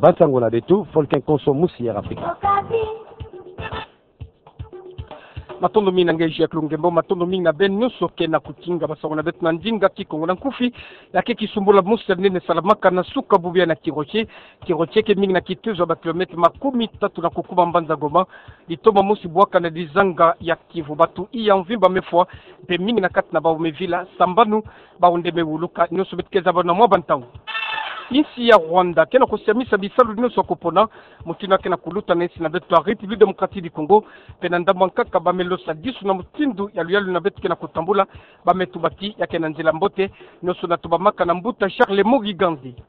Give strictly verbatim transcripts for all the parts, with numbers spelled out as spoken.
Ba nsangu na beto, Folkin Konso, Musi Air Afrika. Matondo mingi na nge Jacques Lungembo, matondo mingi na beno nyonso ke na kutinga ba nsangu na beto na ndinga Kikongo. Na nkufi, ya ke kisumbula mosi ya nene salamaka na suka bubu ya na Kiroche. Kiroche ke mingi na kitezo ya ba kilomètre makumi tatu na kukuma mbanza Goma. Litoma mosi bwaka na dizanga ya Kivu. Bato iya mvimba mefwa, mpe mingi na kati na bawu mevila, sambanu, bawu nde mewuluka, nyonso beto ke zaba na mwa bantangu. Insi ya Rwanda ke na kusiamisa bisalu nyonso ya kupona, mutindu ya ke na kuluta na insi na beto ya République Démocratique du Congo, mpe na ndambu ya nkaka ba melosa disu na mutindu ya luyalu na beto ke na kutambula, ba metubaki ya ke na nzila mbote, nyonso na tubamaka na mbuta Charles Mugiga Nzadi.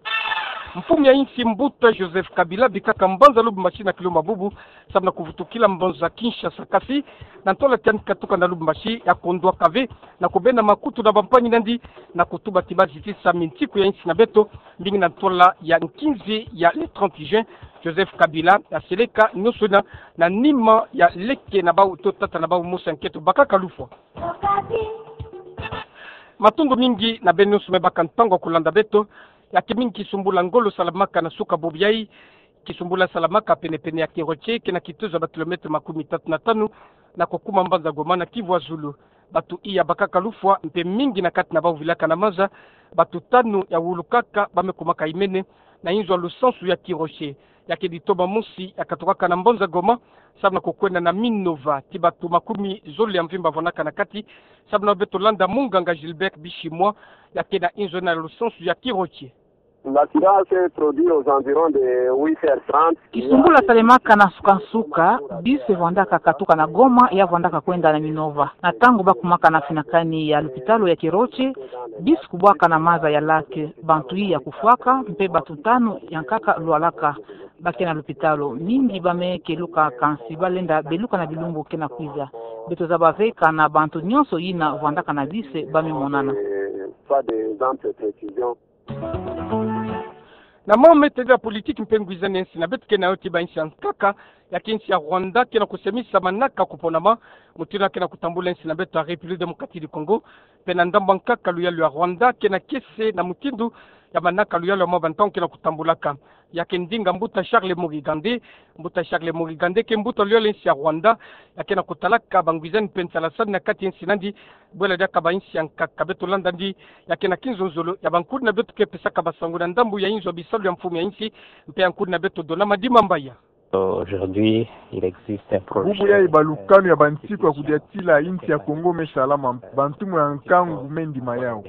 Mfumu ya insi mbuta Joseph Kabila bikaka mbanza Lubumbashi na kilumbu bubu, samu na kuvutukila mbanza Kinshasa, kasi na ntwala ti yandi katuka na Lubumbashi ya kondwaka ve na kubenda makutu na bampangi na yandi na kutuba ti ba zitisa mintiku ya insi na beto, mingi na ntwala ya nkinzi ya le trente juin. Joseph Kabila aseleka nyonso na, na nima ya leke na bawu to tata na bawu mosi ya nketo bakaka lufwa. Matondo mingi na beno nyonso me baka ntangu ya kulanda beto. Ya ke mingi kisumbula ngolo salamaka na suka bubu yayi. Kisumbula salamaka penepene ya Kiroche, ke na kitezo ya ba kilomètre makumi tatu na tanu na kukuma mbanza Goma na Kivu ya zulu. Bato iya bakaka lufwa, mpe mingi na kati na bawu vilaka na maza. Bato tanu ya wulukaka, ba me kumaka imene na inzo ya lusansu ya Kiroche. Ya ke litoma mosi ya katukaka na mbanza Goma, samu na kukwenda na Minova, ti bato makumi zole ya mvimba vwandaka na kati, samu na beto landa munganga Gilbert Bishimwa, ya ke na inzo ena ya lusansu ya Kiroche. L'accident s'est produit aux environs de huit heures trente. Kisumbula salemaka na suka nsuka, bus evwandaka katuka na Goma, ya vwandaka kwenda na Minova. Na ntangu ba kumaka na finakani ya lupitalu ya Kiroche, bus kubwaka na maza ya lac, bantu iya kufwaka, mpe bato tanu ya nkaka lwalaka. Ba ke na lupitalu, mingi ba me keluka, kansi ba lenda beluka na bilumbu ke na kwiza. Beto zaba ve kana bantu nyonso yina vwandaka na bus ba me monana. Pas des amples précisions. Na mambu me tadila politiki mpe ngwizani ya insi na beto ke na yo ti ba insi ya nkaka, ya ke insi ya Rwanda ke na kusiamisa manaka kuponama, mutindu ya ke na kutambula insi na beto ya République Démocratique du Congo, mpe na ndambu ya nkaka luyalu ya Rwanda ke na kiese na mutindu ya manaka luyalu ya mwa bantangu ke na kutambulaka. Ya ke ndinga mbuta Charles Mugiga Nzadi, mbuta Charles Mugiga Nzadi ke mbuta luyalu ya insi ya Rwanda, ya ke na kutalaka bangwizani mpe nsalasani na kati ya insi na yandi, bwela diaka ba insi ya nkaka. Beto landa yandi, ya ke na kinzonzolo ya bankudi na beto ke pesaka basangu na ndambu ya inzo ya bisalu ya mfumu ya insi, mpe ya nkudi na beto Dona Madimba Mbayi. Aujourd'hui, il existe un projet. Bubu yayi balukanu ya bantiku ya kudiatila insi ya Kongo me salama, bantu mwe ya nkangu me ndima yawu.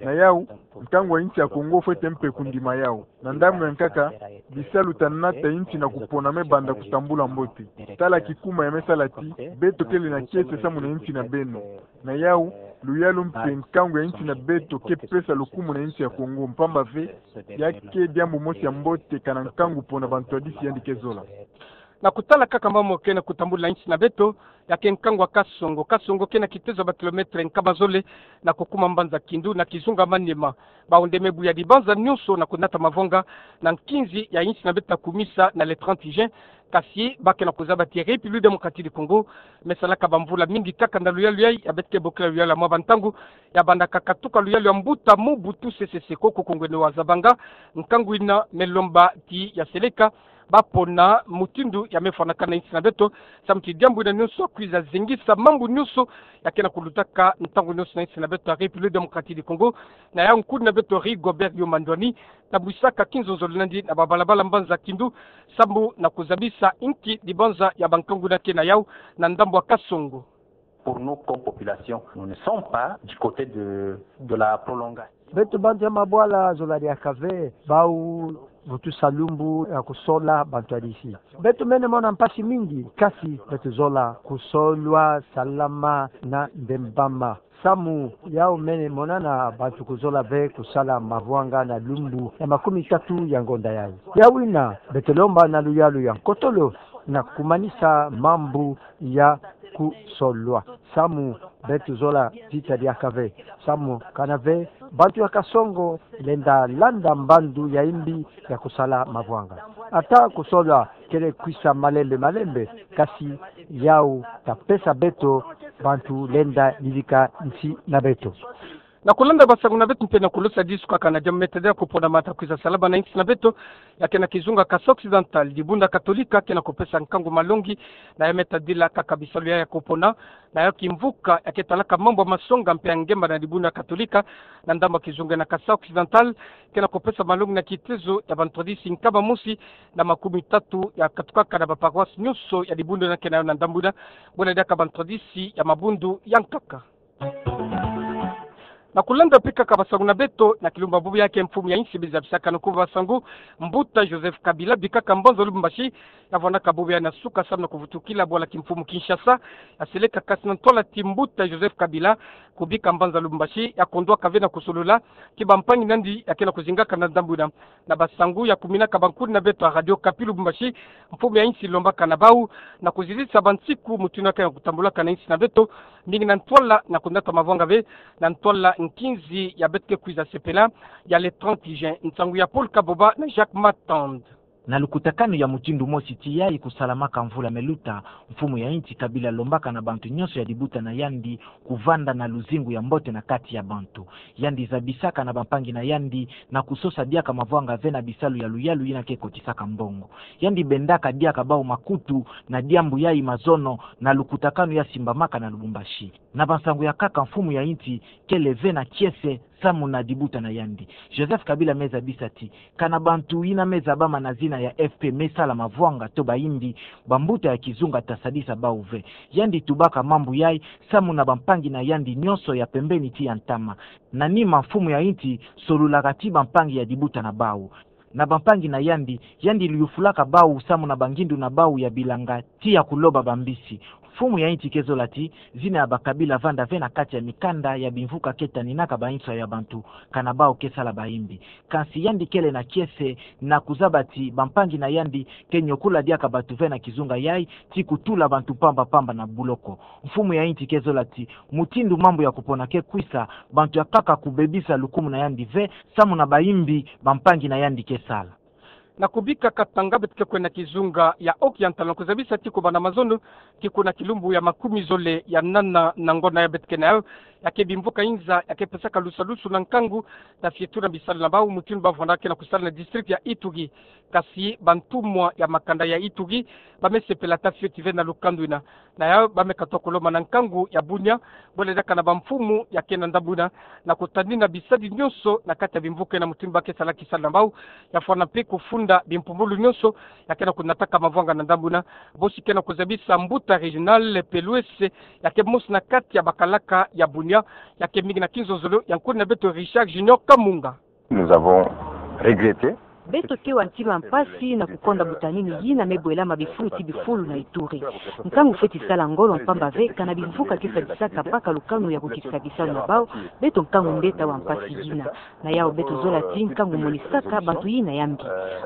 Na yawu, nkangu ya insi ya Kongo fwete mpe kundima yawu. Na ndambu ya nkaka, bisalu ta nata insi na kupona me banda kutambula mbote. Tala kikuma ya me sala ti, beto kele na kiese samu na insi na beno. Na yawu, luyalu mpe nkangu ya insi na beto ke pesa lukumu na insi ya Kongo, mpamba ve, ya ke diambu mosi ya mbote kana nkangu pona bantu ya disi yandi ke zola. Na kutala kaka mambu ke na kutambula insi na beto, ya ke nkangu ya Kasongo. Kasongo ke na kitezo ya ba kilomètre nkama zole na kukuma mbanza Kindu na kizunga Maniema. Bawu nde me buya dibanza nyonso na kunata mavwanga na nkinzi ya insi na beto ta kumisa na le trente juin, kasi ba ke na kuzaba ti République Démocratique du Congo me salaka bamvula mingi kaka na luyalu yayi, ya beto ke bokila luyalu ya mwa bantangu, ya bandaka katuka luyalu ya mbuta Mobutu Sese Seko, koko ngwende wa zabanga, nkangu yina me lomba ti ya seleka, ba pona mutindu ya me fwanakana insi na beto, samu ti diambu yina nyonso ya kwiza zingisa mambu nyonso ya ke na kulutaka ntangu nyonso na insi na beto ya République Démocratique du Congo. Na yawu nkudi na beto Rigobert Yuma Ndwani, tabwisaka kinzonzolo na yandi na babalabala mbanza Kindu, samu na kuzabisa inki dibanza ya bankangu yina ke na yawu na ndambu ya Kasongo. Pour nous, comme population, nous ne sommes pas du côté de, de la prolongation. Beto bantu ya mabwala zola diaka ve, bawu vutusa lumbu ya kusola bantu ya disi. Beto mene mona mpasi mingi, kasi beto zola kusolwa salama na mbembama. Samu yawu mene monana bantu kuzola ve kusala mavwanga na lumbu ya makumi tatu ya ngonda yayi. Yawu yina, beto lomba na luyalu ya nkotolo na kumanisa mambu ya kusolwa. Samu beto zola tita diaka ve. Samu kana ve, bantu ya Kasongo lenda landa mbandu ya imbi ya kusala mavwanga. Ata kusolwa kele kwisa malembe malembe, kasi yawu ta pesa beto bantu lenda yidika nsi na beto. Na kulanda basangu na beto mpe na kulusa disu kaka na diambu me tadila kupona mata kwiza salama na insi na beto, ya ke na kizunga Kasaï Occidental, dibundu Katolika ke na kupesa nkangu malongi na ya me tadila kaka bisalu ya ya kupona, na ya kimvuka ya ke talaka mambu ya masonga mpe ya ngemba na dibundu Katolika, na ndambu ya kizunga na Kasaï Occidental, ke na kupesa malongi na kitezo ya bantwadisi nkama mosi na makumi tatu ya katukaka na baparoisse nyonso ya dibundu na ke na yo na ndambu na, bole diaka bantwadisi ya mabundu ya nkaka. Na kulanda mpe kaka basangu na beto, na kilumbu bubu ya ke mfumu ya insi me zabisaka na kuba basangu, Mbuta Joseph Kabila, bikaka mbanza Lubumbashi, ya vwandaka bubu ya na suka samu na kuvutukila bwala kimfumu Kinshasa, ya seleka kasi na ntwala ti Mbuta Joseph Kabila, kubika mbanza Lubumbashi, ya kondwaka ve na kusolula ki bampangi na yandi ya ke na kuzingaka na ndambu na. Na basangu ya kuminaka bankuni na beto ya Radio Okapi Lubumbashi, mfumu ya insi lombaka na bau na kuzizisa bansiku mutindu ya ke na kutambulaka na insi na beto, mingi na ntwala na kunata mavwanga ve, na ntwala nkinzi ya beto ke kwiza sepela, ya le trente juin. Nsangu ya Paul Kaboba na Jacques Matand. Na lukutakanu ya mutindu mosi ti yayi kusalamaka mvula me luta, mfumu ya insi Kabila lombaka na bantu nyonso ya dibuta na yandi kuvanda na luzingu ya mbote na kati ya bantu. Yandi zabisaka na bampangi na yandi na kusosa diaka mavwanga ve na bisalu ya luyalu yina ke kotisaka mbongo. Yandi bendaka diaka bau makutu na diambu yayi mazono na lukutakanu ya simbamaka na Lubumbashi. Na bansangu ya nkaka, mfumu ya insi kele ve na kiese samu na dibuta na yandi. Joseph Kabila me zabisa ti, kana bantu yina me zabama na zina ya F P me sala mavwanga to bayimbi, bambuta ya kizunga ta sadisa bau ve. Yandi tubaka mambu yayi samu na bampangi na yandi nyonso ya pembeni ti ya ntama. Na nima, mfumu ya insi solulaka ti bampangi ya dibuta na bau. Na bampangi na yandi, yandi liyufulaka bau samu na bangindu na bau ya bilanga ti ya kuloba bambisi. Mfumu ya insi ke zola ti, zina ya ba Kabila vanda ve na kati ya mikanda ya bimvuka ke taninaka bainso ya bantu, kana bau ke sala bayimbi. Kansi yandi kele na kiese na kuzaba ti bampangi na yandi ke nyokula diaka bantu ve na kizunga yayi, ti kutula bantu mpamba mpamba na buloko. Mfumu ya insi ke zola ti, mutindu mambu ya kupona ke kwisa, bantu ya nkaka kubebisa lukumu na yandi ve, samu na bayimbi bampangi na yandi ke sala. Na kubika katanga, beto ke kwenda kizunga ya Oki ya ntalo na kuzabisa ti kubanda mazono, ti kuna kilumbu ya makumi zole ya nana na ngonda ya beto ke na yo, ya ke bimvuka inza ya ke pesaka lusalusu na nkangu, na fioti na bisalu na bau, mutindu ba vwanda ke na kusala na district ya Ituri. Kasi bantumwa ya makanda ya Ituri ba me sepela ta fioti ve na lukando yina. Na ya ba me katuka kulomba na nkangu ya Bunia, bole diaka na bamfumu ya ke na ndambu yina, na kutanina bisalu nyonso na kati ya bimvuka yina, mutindu ba ke sala kisalu na bau, ya fwana mpe kufunda bimpumbulu nyonso ya ke na kunataka mavwanga na ndambu yina. Bosi ke na kuzabisa mbuta Réginald Peluese, ya ke mosi na kati ya bakalaka ya Bunia, ya ke mingi na kinzonzolo ya nkuni na beto Richard Junior Kamunga. Nous avons regretté. Beto ke wa ntima mpasi na kukonda butanini yina me bwelama bifulu ti bifulu na Ituri. Nkangu fweti sala ngolo, mpamba ve kana bimvuka ke sadisaka mpaka lukanu ya kukitisa bisalu na bau, beto nkangu nde ta wa mpasi yina. Na yau beto zola ti nkangu monisaka bantu yina ya mbi.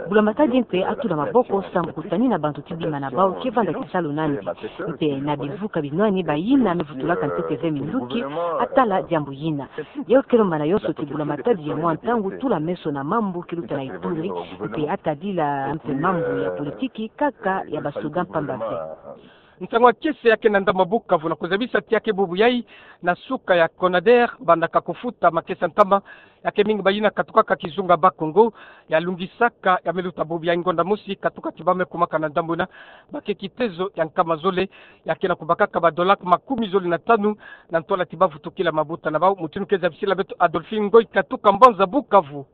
Bula Matadi mpe atula maboko samu kutanina bantu ti bima na bau ke vanda kisalu na mbi. Mpe na bimvuka binwani bayina me vutulaka ntete ve minduki, atala diambu yina. Yo ke lomba na yonso ti Bula Matadi ya mwa ntangu tula meso na mambu ke luta na Ituri, mpe atadila mpe mambu ya politiki kaka ya basoda mpamba ve. Ntangu ya kiese ya ke na ndambu Bukavu na kuzabisa ti ya ke bubu yayi na suka ya Conader bandaka kufuta makesa ntama ya ke mingi bayina katukaka kizunga Bas-Congo, ya lungisaka ya me luta bubu yayi ngonda mosi katuka ti ba me kumaka na ndambu yina, ba ke kitezo ya nkama zole, ya ke na kubakaka ba dollars makumi zole na tanu, na ntwala ti ba vutukila mabuta na bau, mutindu ke zabisila beto Adolphine Ngoy katuka mbanza Bukavu.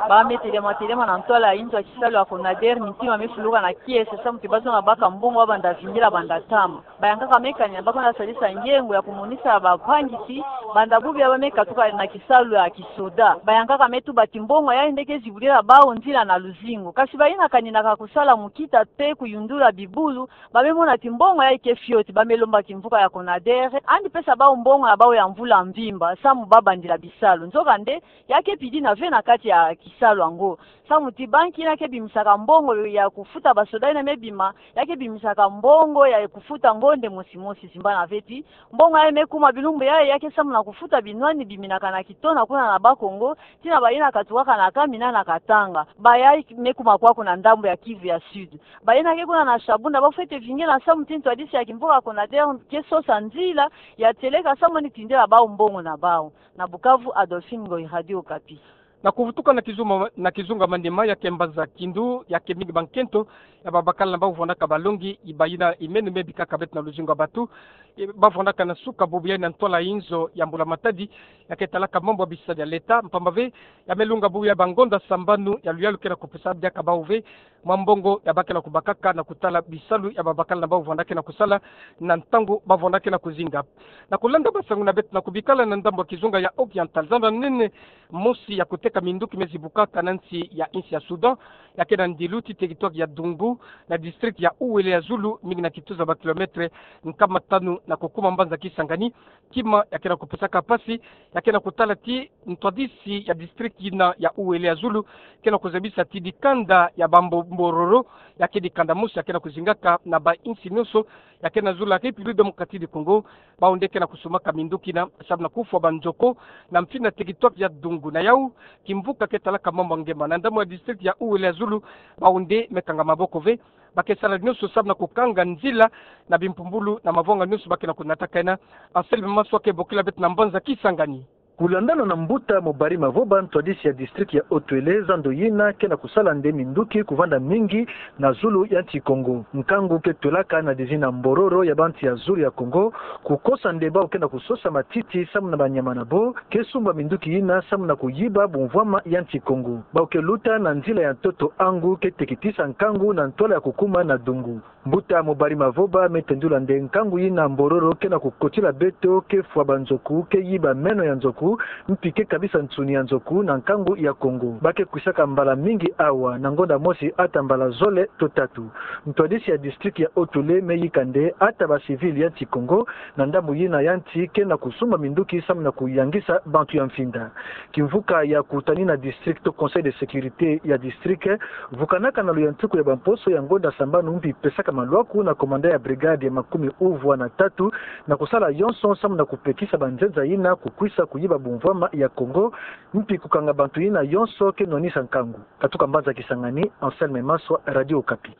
Ba me telema telema na ntwala ya inzo ya kisalu ya Conader, mintima me fuluka na kiese samu ti ba zona baka mbongo, ba banda vingila, banda tama. Bayankaka me kanina ba kwenda sadisa ngiengo ya kumonisa bampangi ti banda bubu yayi ba me katuka na kisalu ya kisoda. Bayankaka me tuba ti mbongo yayi nde ke zibudila bau nzila na luzingu. Kasi bayina kaninaka kusala mukita mpe kuyundula bibulu, ba me mona ti mbongo yayi ke fioti, ba me lomba kimvuka ya Conader andi pesa bau mbongo ya bau ya mvula mvimba samu ba bandila bisalu. Nzokande, ya ke pidina ve na kati ya kisalu yango. Samu ti banki yina ke bimisaka mbongo ya kufuta basoda yina me bima, ya ke bimisaka mbongo ya kufuta ngonde mosi-mosi, simbana ve ti mbongo yayi me kuma bilumbu yayi ya ke samu na kufuta binwani biminaka na kitona kuna na Bas-Congo, tii na bayina katukaka na Kamina na Katanga. Bayayi me kuma kwaku na ndambu ya Kivu ya Sud. Bayina ke kuna na Shabunda bafwete vingila samu ti ntwadisi ya kimvuka CONADER ke sosa nzila ya tieleka samu ni tindela bawu mbongo na bawu. Na Bukavu, Adolphine Ngoyi, Radio Okapi. Na kuvutuka na kizunga, na kizunga Maniema, ya ke mbanza Kindu, ya ke mingi bankento ya babakala na bawu vwandaka balongi, bayina imene me bikaka beto na luzingu ya batu, e, bavwandaka na suka bubu yayi na ntwala inzo ya Mbula Matadi, ya ke talaka mambu ya bisadi ya leta, mpamba ve ya me lunga bubu yayi bangonda sambanu ya luyalu ke na kupesa diaka bawu ve mwa mbongo ya ba ke na kubakaka na kutala bisalu ya babakala na bawu vwandaka na kusala na ntangu bavwandaka na kuzinga. Na kulanda basangu na beto na kubikala na ndambu ya kizunga ya Oriental, zando nene mosi ya kuteka minduki me zibukaka na nsi ya insi ya Soudan, ya ke na ndilu ti territoire ya Dungu, na district ya Uele ya zulu, mingi na kituza ba kilomètre nkama tanu na kukuma mbanza Kisangani. Kima ya ke na kupesaka mpasi ya ke na kutala ti ntwadisi ya district yina ya Uele ya zulu ke na kuzabisa ti dikanda ya bambo-, mbororo, ya ke dikanda mosi ya ke na kuzingaka na bainsi nyonso ya ke na zulu ya République Démocratique du Congo, bawu nde ke na kusumaka minduki yina samu na kufwa banzoko na mfini ya territoire ya Dungu. Na yawu, kimvuka ke talaka mambu ya ngemba na ndambu ya district ya Uele ya zulu, bawu nde me kanga maboko ve, ba ke sala nyonso samu na kukanga nzila na bimpumbulu na mavwanga nyonso ba ke na kunataka yina. Anselme Maswa ke bokila beto na mbanza Kisangani. Kulandana na mbuta Mobari Mavoba, ntwadisi ya district ya Haut-Uele, zando yina ke na kusala nde minduki kuvanda mingi na zulu ya nsi Kongo. Nkangu ke twelaka na dizina mbororo ya bantu ya zulu ya Kongo, kukosa nde bawu ke na kusosa matiti samu na banyama na bo, ke sumba minduki yina samu na kuyiba bumvwama ya nsi Kongo. Bawu ke luta na nzila ya ntoto Angu ke tekitisa nkangu na ntwala ya kukuma na Dungu. Mbuta Mobari Mavoba me tendula nde nkangu yina mbororo ke na kukotila beto, ke fwa banzoku, ke yiba meno ya nzoku, mpi ke kabisa nsuni ya nzoku na nkangu ya Kongo. Ba ke kwisaka mbala mingi awa, na ngonda mosi ata mbala zole to tatu. Ntwadisi ya district ya Haut-Uele me yika nde ata ba civil ya nsi Kongo na ndambu yina ya nsi ke na kusumba minduki samu na kuyangisa bantu ya mfinda. Kimvuka ya kutanina district to Conseil de sécurité ya district vukanaka na luyantiku ya bamposo ya ngonda sambanu mpi pesaka malwaku na commandant ya brigade ya makumi uvwa na tatu na kusala yonso samu na kupekisa banzenza yina kukwisa kuyiba bumvwama ya Kongo, mpi kukanga bantu yina yonso ke nwanisa nkangu. Katuka mbanza Kisangani, Anselme Maswa, Radio Okapi.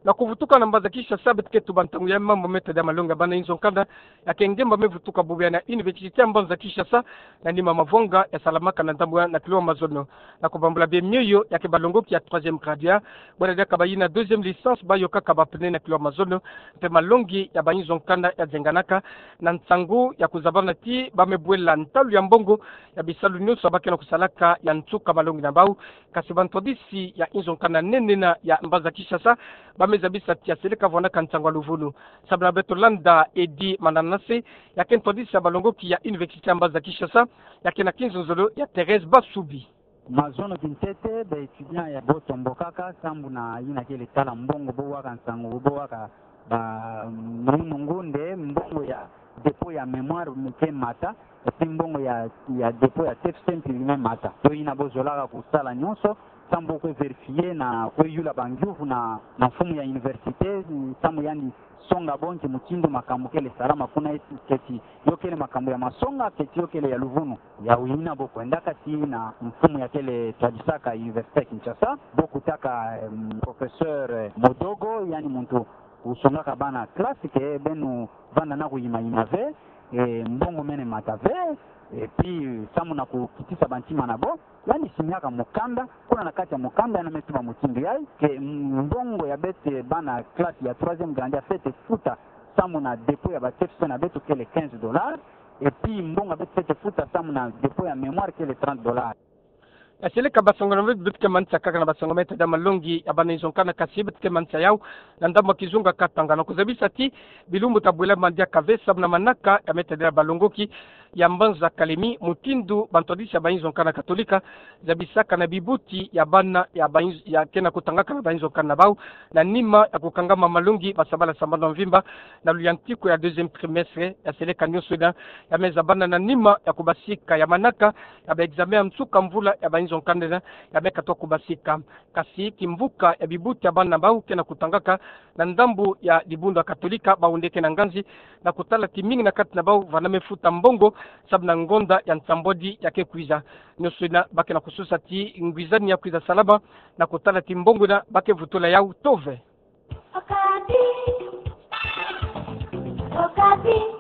Na kuvutuka na mbanza Kinshasa, beto ke tuba ntangu ya mambu me tadila malongi ya bana inzo nkanda, ya ke ngemba me vutuka bubu yayi na université ya mbanza Kinshasa, na nima mavwanga ya salamaka na ndambu ya na kilo mazono. Na kubambula bie mioyo ya ke balongoki ya troisième graduat, bwela diaka bayina deuxième licence bayokaka ba pneu na kilo mazono, mpe malongi ya ba inzo nkanda ya zenganaka na nsangu ya kuzabana ti ba me bwela ntalu ya mbongo ya bisalu nyonso ba ke na kusalaka ya nsuka malongi na bawu. Kasi bantwadisi ya inzo nkanda nene na ya mbanza Kinshasa ba me zabisa ti ya seleka vwandaka nsangu ya luvunu. Samu na beto landa Eddy Mananase, ya ke ntwadisi ya balongoki ya université ya mbanza Kinshasa, ya ke na kinzonzolo ya Thérèse Basubi. Mazono kintete, ba étudiant ya bo tombokaka sambu na yina kele tala mbongo, bo waka nsangu, bo waka ba, mm, munungu nde mbongo ya dépôt ya mémoire me ke mata, et puis mbongo ya, ya dépôt ya TFC mpi me mata. Yo yina bo zolaka kusala nyonso, sambu bo kwe vérifier na kwe yula bangiuvu na, na mfumu ya université, sambu yandi songa bo nki mutindu makambu kele salama kuna, eti keti yo kele makambu ya masonga, keti yo kele ya luvunu. Yawu yina bo kwendaka ti na mfumu ya kele twadisaka Université ya Kinshasa, bo kutaka, em, professeur, eh, Modogo, yandi muntu usongaka bana classe, ke beno vanda na kuyima-yima ve, eh, mbongo mene mata ve, et puis sambu na kukitisa bantima na bo, yandi signaka mukanda, kuna na kati ya mukanda yandi me tuba mutindu yayi, ke mbongo ya beto bana classe ya troisième grande ya fwete futa sambu na dépôt ya ba TFC na beto kele quinze dollars, et puis mbongo ya beto fwete futa sambu na dépôt ya mémoire kele trente dollars. Ya seleka basango na beto, beto ke manisa kaka na basango me tadila malongi ya bana inzo nkanda, kasi beto ke manisa yawu na ndambu ya kizunga Katanga, na kuzabisa ti bilumbu ta bwela ma diaka ve sambu na manaka ya me tadila balongoki ya mbanza Kalemi, mutindu bantwadisi ya bainzo nkanda Katolika zabisaka na bibuti ya bana ya bainzo, ya ke na kutangaka na bainzo nkanda na bau, na nima ya kukangama malongi ba sabala sambano mvimba, na luyantiku ya deuxième trimestre ya seleka nioso ina, ya me zabana na nima ya kubasika ya manaka ya ba examen ya nsuka mvula ya bainzo nkanda ina, ya me katuka kubasika. Kasi kimvuka ya bibuti ya bana bau ke na kutangaka na ndambu ya dibundu ya Katolika, bau nde ke na nganzi na kutala timingi na kati na bau va na me futa mbongo, sababu na ngonda ya nsambwadi ya ke kwiza. Nioso ina ba ke na kususa ti ngwizani ya kwiza salama na kutala ti mbongo ina ba ke vutula yau. Tove. Okapi. Okapi.